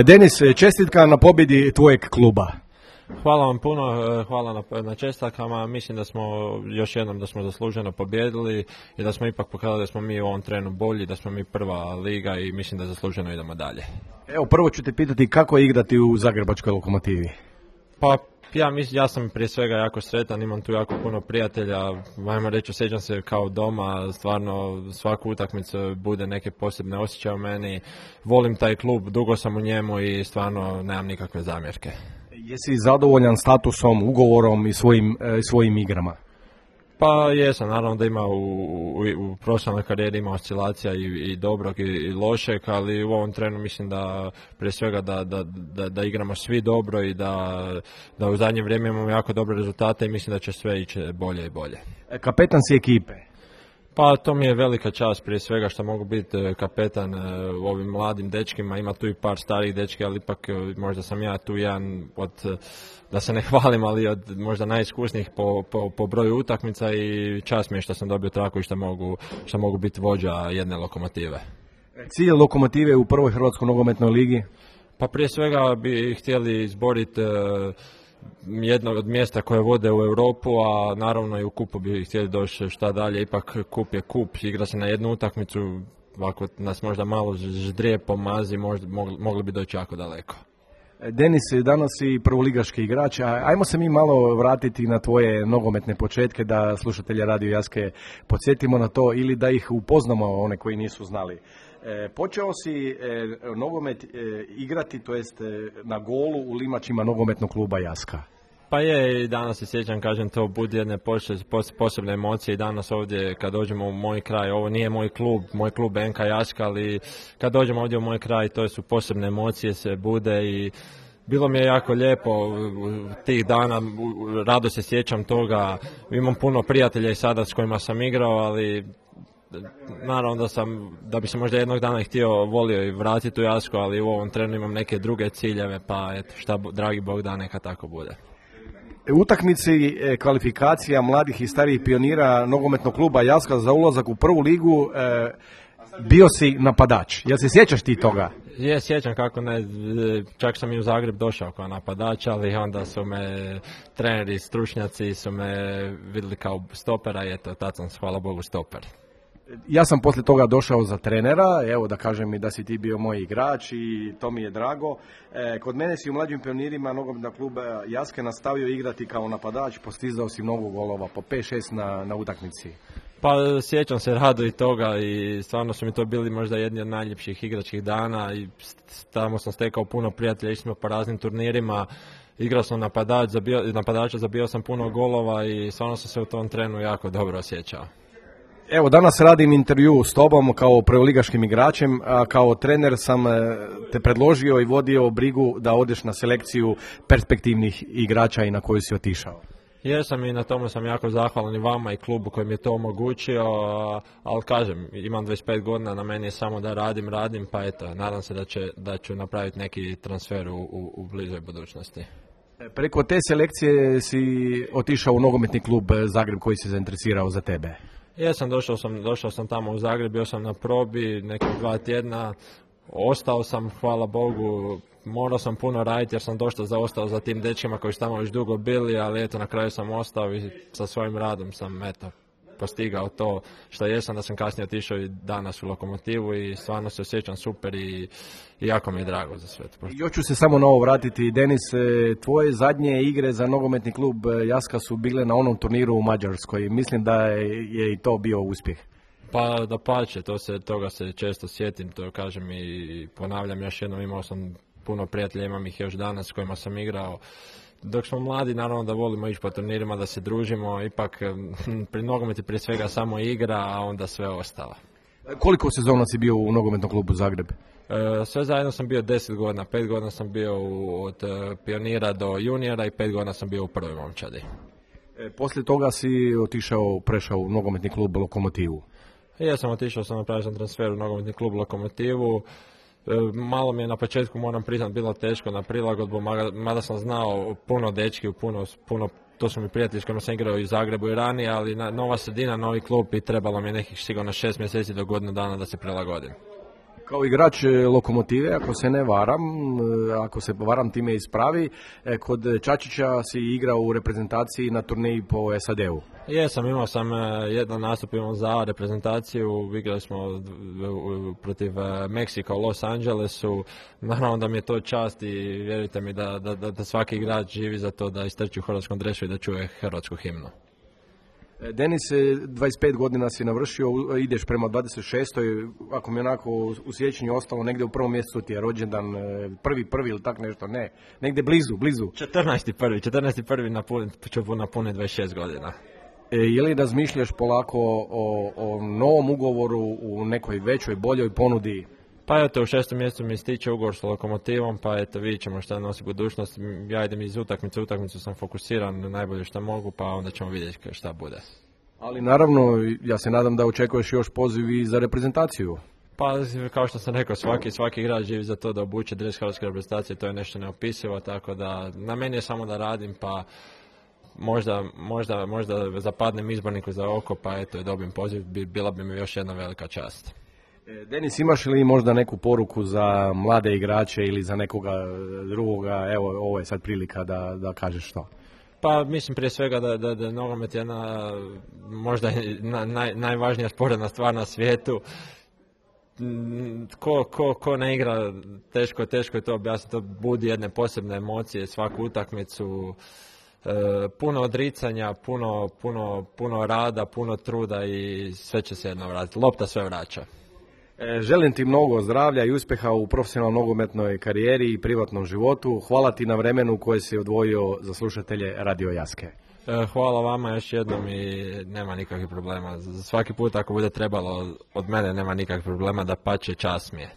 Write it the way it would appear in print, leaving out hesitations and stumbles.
Denis, čestitka na pobjedi tvojeg kluba. Hvala vam puno, hvala na čestitkama. Mislim da smo još jednom da smo zasluženo pobjedili i da smo ipak pokazali da smo mi u ovom trenu bolji, da smo mi prva liga i mislim da zasluženo idemo dalje. Evo, prvo ću te pitati kako je igrati u Zagrebačkoj Lokomotivi. Pa ja sam prije svega jako sretan, imam tu jako puno prijatelja, ajmo reći, osjećam se kao doma, stvarno svaku utakmicu bude neke posebne osjećaje u meni, volim taj klub, dugo sam u njemu i stvarno nemam nikakve zamjerke. Jesi zadovoljan statusom, ugovorom i svojim igrama? Pa jesam, naravno da ima u profesionalnoj karijeri ima oscilacija i dobrog i lošeg, ali u ovom trenu mislim da prije svega da igramo svi dobro i da u zadnje vrijeme imamo jako dobre rezultate i mislim da će sve ići bolje i bolje. Kapetan si ekipe. Pa to mi je velika čast prije svega što mogu biti kapetan ovim mladim dečkima, ima tu i par starih dečki, ali ipak možda sam ja tu jedan od, da se ne hvalim, ali od možda najiskusnijih po broju utakmica i čast mi je što sam dobio traku i što mogu biti vođa jedne Lokomotive. Cilj Lokomotive u prvoj Hrvatskoj nogometnoj ligi? Pa prije svega bi htjeli izboriti jedno od mjesta koje vode u Europu, a naravno i u kupu bi htjeli doći šta dalje, ipak kup je kup, igra se na jednu utakmicu, ako nas možda malo ždrije pomazi, mogli bi doći jako daleko. Denis, danas si prvoligaški igrač, ajmo se mi malo vratiti na tvoje nogometne početke, da slušatelje Radio Jaske podsjetimo na to ili da ih upoznamo, one koji nisu znali. Počeo si nogomet igrati, to jest na golu u limačima nogometnog kluba Jaska. Pa je, i danas se sjećam, kažem, to budi jedne posebne emocije i danas ovdje kad dođemo u moj kraj, ovo nije moj klub NK Jaska, ali kad dođemo ovdje u moj kraj to su posebne emocije, se bude i bilo mi je jako lijepo tih dana, rado se sjećam toga, imam puno prijatelja i sada s kojima sam igrao, ali naravno da bi se možda jednog dana volio i vratiti u Jasku, ali u ovom trenu imam neke druge ciljeve, pa eto, šta dragi Bog da, neka tako bude. U utakmici kvalifikacija mladih i starijih pionira nogometnog kluba Jaska za ulazak u prvu ligu bio si napadač. Jel se sjećaš ti toga? Je, sjećam, kako ne, čak sam i u Zagreb došao kao napadač, ali onda su me treneri, stručnjaci su me vidjeli kao stopera i eto, tad sam, hvala Bogu, stoper. Ja sam poslije toga došao za trenera, evo da kažem i da si ti bio moj igrač i to mi je drago. Kod mene si u mlađim pionirima nogometnog kluba Jaske nastavio igrati kao napadač, postizao si mnogo golova, po 5-6 na utakmici. Pa sjećam se rado i toga i stvarno su mi to bili možda jedni od najljepših igračkih dana i tamo sam stekao puno prijatelja, išli smo po raznim turnirima. Igrao sam napadača, zabio sam puno golova i stvarno sam se u tom trenu jako dobro osjećao. Evo, danas radim intervju s tobom kao prvoligaškim igračem, a kao trener sam te predložio i vodio brigu da odeš na selekciju perspektivnih igrača i na koju si otišao. Jesam i na tomu sam jako zahvalan i vama i klubu koji mi je to omogućio, ali kažem, imam 25 godina, na meni je samo da radim, pa eto, nadam se da ću napraviti neki transfer u bližoj budućnosti. Preko te selekcije si otišao u nogometni klub Zagreb koji se zainteresirao za tebe. Jesam, došao sam tamo u Zagreb, bio sam na probi nekih 2 tjedna, ostao sam, hvala Bogu, morao sam puno raditi jer sam dosta zaostao za tim dečkima koji su tamo već dugo bili, ali eto, na kraju sam ostao i sa svojim radom sam postigao to što jesam, da sam kasnije otišao i danas u Lokomotivu i stvarno se osjećam super i jako mi je drago za sve. Još ću se samo na ovo vratiti. Denis, tvoje zadnje igre za nogometni klub Jaska su bile na onom turniru u Mađarskoj. Mislim da je i to bio uspjeh. Pa dapače, toga se često sjetim, to kažem i ponavljam još jednom, imao sam puno prijatelja, imam ih još danas s kojima sam igrao. Dok smo mladi, naravno da volimo ići po turnirima, da se družimo, ipak pri nogometi prije svega samo igra, a onda sve ostalo. Koliko sezona si bio u nogometnom klubu Zagreb? Sve zajedno sam bio 10 godina, 5 godina sam bio od pionira do juniora i 5 godina sam bio u prvoj momčadi. Poslije toga si prešao u nogometni klub Lokomotivu? Ja sam otišao, napravio sam transfer u nogometni klub Lokomotivu. Malo mi je na početku, moram priznati, bilo teško na prilagodbu, mada sam znao puno dečki, puno, to su mi prijatelji s kojima sam igrao i u Zagrebu i ranije, ali nova sredina, novi klub i trebalo mi je nekih sigurno 6 mjeseci do godinu dana da se prilagodim. Kao igrač Lokomotive, ako se ne varam, ako se varam time ispravi, kod Čačića si igrao u reprezentaciji na turneji po SAD-u. Jesam, imao sam jedan nastup za reprezentaciju, igrali smo protiv Meksika u Los Angelesu, naravno da mi je to čast i vjerujte mi da svaki igrač živi za to da istrči u hrvatskom dresu i da čuje hrvatsku himnu. Denis, 25 godina si navršio, ideš prema 26. Ako mi onako u sjećanju ostalo negdje u prvom mjesecu ti je rođendan, prvi ili tak nešto, ne, negdje blizu. 14.1. ću napuniti 26 godina. Je li razmišljaš polako o novom ugovoru u nekoj većoj, boljoj ponudi? Pa eto, u 6. mjesecu mi stiče ugovor sa Lokomotivom, pa eto, vidjet ćemo šta nosi budućnost. Ja idem iz utakmicu sam fokusiran na najbolje što mogu, pa onda ćemo vidjeti šta bude. Ali naravno, ja se nadam da očekuješ još poziv i za reprezentaciju. Pa, kao što sam rekao, svaki igrač živi za to da obuče dres hrvatske reprezentacije, to je nešto neopisivo, tako da na meni je samo da radim, pa možda zapadnem izborniku za oko, pa eto, dobijem poziv, bila bi mi još jedna velika čast. Denis, imaš li možda neku poruku za mlade igrače ili za nekoga drugoga? Evo, ovo je sad prilika da kažeš što. Pa mislim prije svega da je nogomet jedna možda najvažnija sporedna stvar na svijetu. Ko ne igra, teško je to objasniti, to budi jedne posebne emocije, svaku utakmicu, puno odricanja, puno rada, puno truda i sve će se jedno vratiti. Lopta sve vraća. Želim ti mnogo zdravlja i uspjeha u profesionalnoj nogometnoj karijeri i privatnom životu. Hvala ti na vremenu koje si odvojio za slušatelje Radio Jaske. Hvala vama još jednom i nema nikakvih problema. Svaki put ako bude trebalo od mene nema nikakvih problema, da pače, čast mi je.